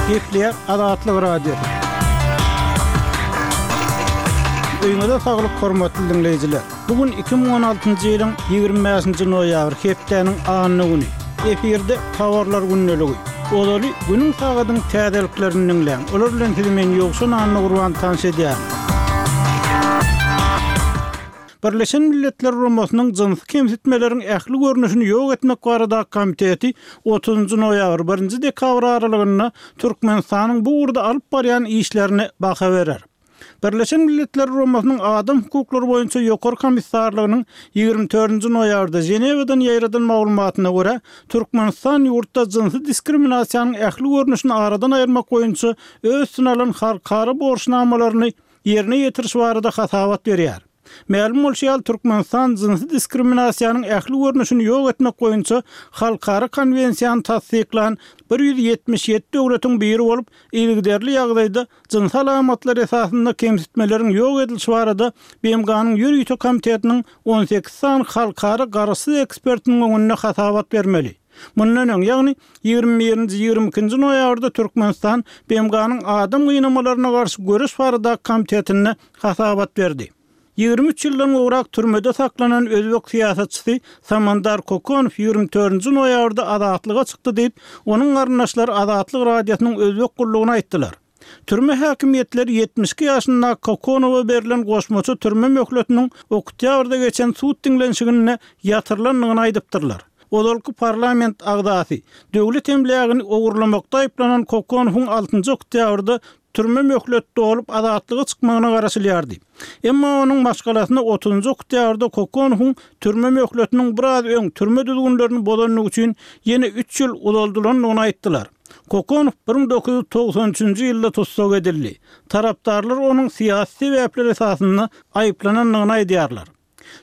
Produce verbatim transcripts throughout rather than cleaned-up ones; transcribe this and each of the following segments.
Gepleýär Azatlyk Radiosy. Öýüňize saglyk hormatly diňleýjiler. Bu gün iki müň on altynjy ýylyň ýigrimi bäşinji noýabry, hepdäniň anna güni. Efirde Habarlar gündeligi. Ozaly günüň sagadyň täzeliklerini diňläň. Olar bilen sizi men Ýowşan Annagurban tanyş edýärin. Birleşen Milletler Guramasynyň jynsy kemsitmeleriň ähli görnüşini ýok etmek baradaky komiteti otuzynjy noýabr, birinji dekabr aralygynda Türkmenistanyň bu ugurda alyp barýan işlerine baha berer. Birleşen Milletler Guramasynyň Adam hukuklary boýunça Ýokary komissarlygynyň ýigrimi dördünji noýabrda Ženewadan ýaýradan maglumatyna görä, Türkmenistan ýurtda jynsy diskriminasiýanyň ähli görnüşini aradan aýyrmak boýunça öz üstüne alan halkara borçnamalaryny ýerine ýetiriş barada hasabat berýär. Mälim bolşy ýaly, Türkmenistan jynsy diskriminasiýanyň ähli görnüşini ýok etmek boýunça halkara konwensiýany tassyklan bir ýüz ýetmiş ýedi döwletiň biri bolup, yzygiderli ýagdaýda jynsy alamatlar esasynda kemsitmeleriň ýok edilişi barada B M G-nyň ýörite komitetiniň on sekiz sany halkara garaşsyz ekspertiniň öňünde hasabat bermeli. Mundan öň, ýagny ýigrimi birinji, ýigrimi ikinji noýabrda Türkmenistan B M G-nyň adam gynamalaryna garşy göreş baradaky komitetinde hasabat berdi. Ýigrimi üç ýyldan gowrak türmede saklanan özbek syýasatçysy Samandar Kokonow ýigrimi dördünji noýabrda azatlyga çykdy diýip, onuň garyndaşlary Azatlyk Radiosynyň özbek gullugyna aýtdylar. Türme häkimiýetleri ýetmiş iki ýaşyndaky Kokonowa berlen goşmaça türme möhletiniň oktýabrda geçen sud diňlenişiginde ýatyrylandygyny aýdypdyrlar. Ozalky parlament agzasy, döwlet emlägini ogurlamakda aýyplanan Kokonowyň altynjy oktýabrda türme möhlet dolup azatlyga çykmagyna garaşylýardy. Emma onuň maşgalasyna otuzynjy oktýabrda Kokonowyň türme möhletiniň biraz öň türme düzgünlerini bozandygy üçin ýene üç ýyl uzaldylandygyny aýtdylar. Kokonow bir müň dokuz ýüz togsan üçünji ýylda tussag edildi. Tarapdarlar onuň syýasy sebäpler esasynda aýyplanandygyny aýdýarlar.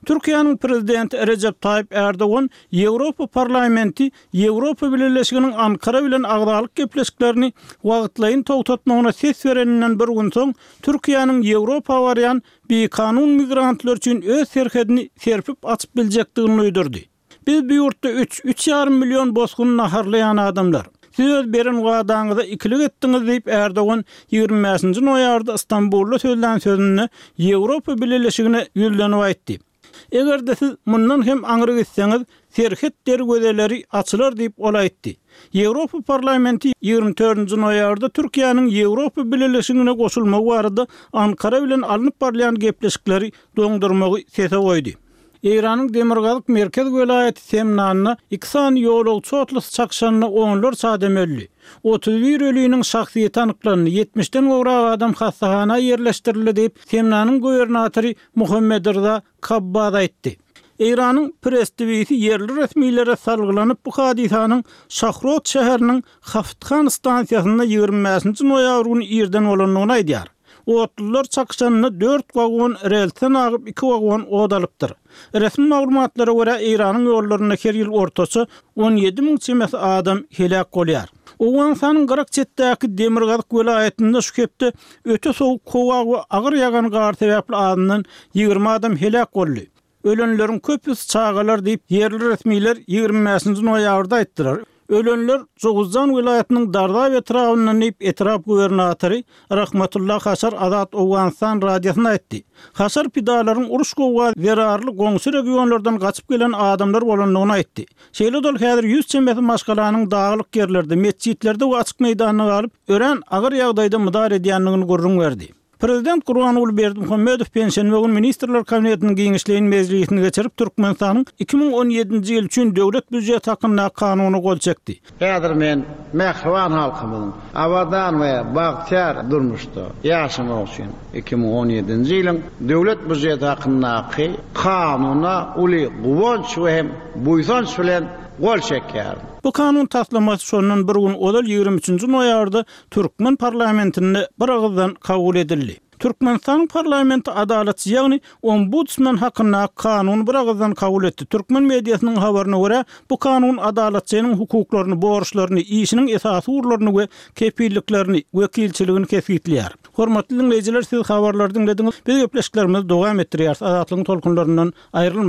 Türkiýäniň prezidenti Rejep Taýyp Erdogan Ýewropa parlamenti Ýewropa Bileleşiginiň Ankara bilen agzalyk gepleşiklerini wagtlaýyn togtatmagyna ses bereninden bir gün soň Türkiýäniň Ýewropa barýan bikanun migrantlar üçin öz serhedini serpip açyp biljekdigini duýdurdy. Biz bu ýurtda üç, üç ýarym million bosgun naharlaýan adamlar. Siz öz beren wadaňyza ikilik etdiňiz diýip Erdogan ýigrimi bäşinji noýabrda Stambulda sözlän sözünde Ýewropa Bileleşigine ýüzlenip aýtdy. Eger-de siz mundan hem aňry gitseňiz, serhet derwezeleri açylar diýip ol aýtdy. Ýewropa parlamenti ýigrimi dördünji noýabrda Türkiýäniň Ýewropa Bileleşigine goşulmagy barada Ankara bilen alnyp barylýan gepleşikleri doňdurmagy sese goýdy. Eýranyň demirgazyk merkez welaýaty Semnanda iki sany ýolagçy otlysy çakşanda onlarça adam öldi. Otuz bir ölüniň şahsyýeti anyklandy, ýetmişden gowrak adam hassahana ýerleşdirildi diýip, Semnanyň gubernatory Muhammed Rza Kabbaz aýtdy. Eýranyň Press T V-si ýerli resmilere salgylanyp bu hadysanyň Şahrot şäheriniň Hafthan stansiýasynda ýigrimi bäşinji noýabr güni irden bolandygyny aýdýar. Otlular çakşanda dört wagon relsden agyp iki wagon od alypdyr. Resmi maglumatlara görä Eýranyň ýollarynda her ýyl ortaça on ýedi müň çemesi adam heläk bolýar. Owganystanyň Gyrak çetdäki Demirgazyk welaýatynda şu hepde öte sowuk howa we agyr ýagan gar sebäpli azyndan ýigrimi adam heläk boldy. Ölenleriň köpüsi çagalar diýip ýerli resmiler ýigrimi bäşinji noýabrda aýtdylar. Ölenler Jowuzjan welaýatynyň Dardab etrabyndan diýip etrap gubernatory Rahmatullah Haşar Azat Owganystan radiosyna aýtdy. Haşar pidalaryň uruş gowga zerarly goňşy regionlardan gaçyp gelen adamlar bolandygyny aýtdy. Şeýle dol häzir ýüz çemesi maşgalanyň daglyk ýerlerde, metjitlerde we açyk meýdanda galyp, örän agyr ýagdaýda mydar edýändigini gürrüň berdi. Prezident Gurbanguly Berdimuhamedow penşenbe gün Ministrler Kabinetiniň giňişleýin mejlisini geçirip, Türkmenistanyň iki müň on ýedinji ýyl üçin döwlet býujeti hakyndaky kanuny gol çekdi. Häzir men mähriban halkymyzyň abadan we bagtyýar durmuşda ýaşamagy üçin iki müň on ýedinji ýylyň döwlet býujeti hakyndaky kanuna uly guwanç we hem buýsanç bilen gol çekýärin. Bu kanun taslamasy şondan bir gün ozal ýigrimi üçünji noýabrda Türkmen parlamentinde bir agyzdan kabul edildi. Türkmenistan parlamenti adalatçy, ýagny ombudsman hakyndaky kanuny bir agyzdan kabul etdi. Türkmen mediasynyň habaryna görä, bu kanun adalatçynyň hukuklaryny, borçlaryny, işiniň esasy ugurlaryny we kepilliklerini, wekilçiligini kesgitleýär. Hormatly dinleýjiler, siz habarlary diňlediňiz. Biz gepleşiklerimizi dowam etdirýäris. Azatlygyň tolkunlaryndan aýrylmaň.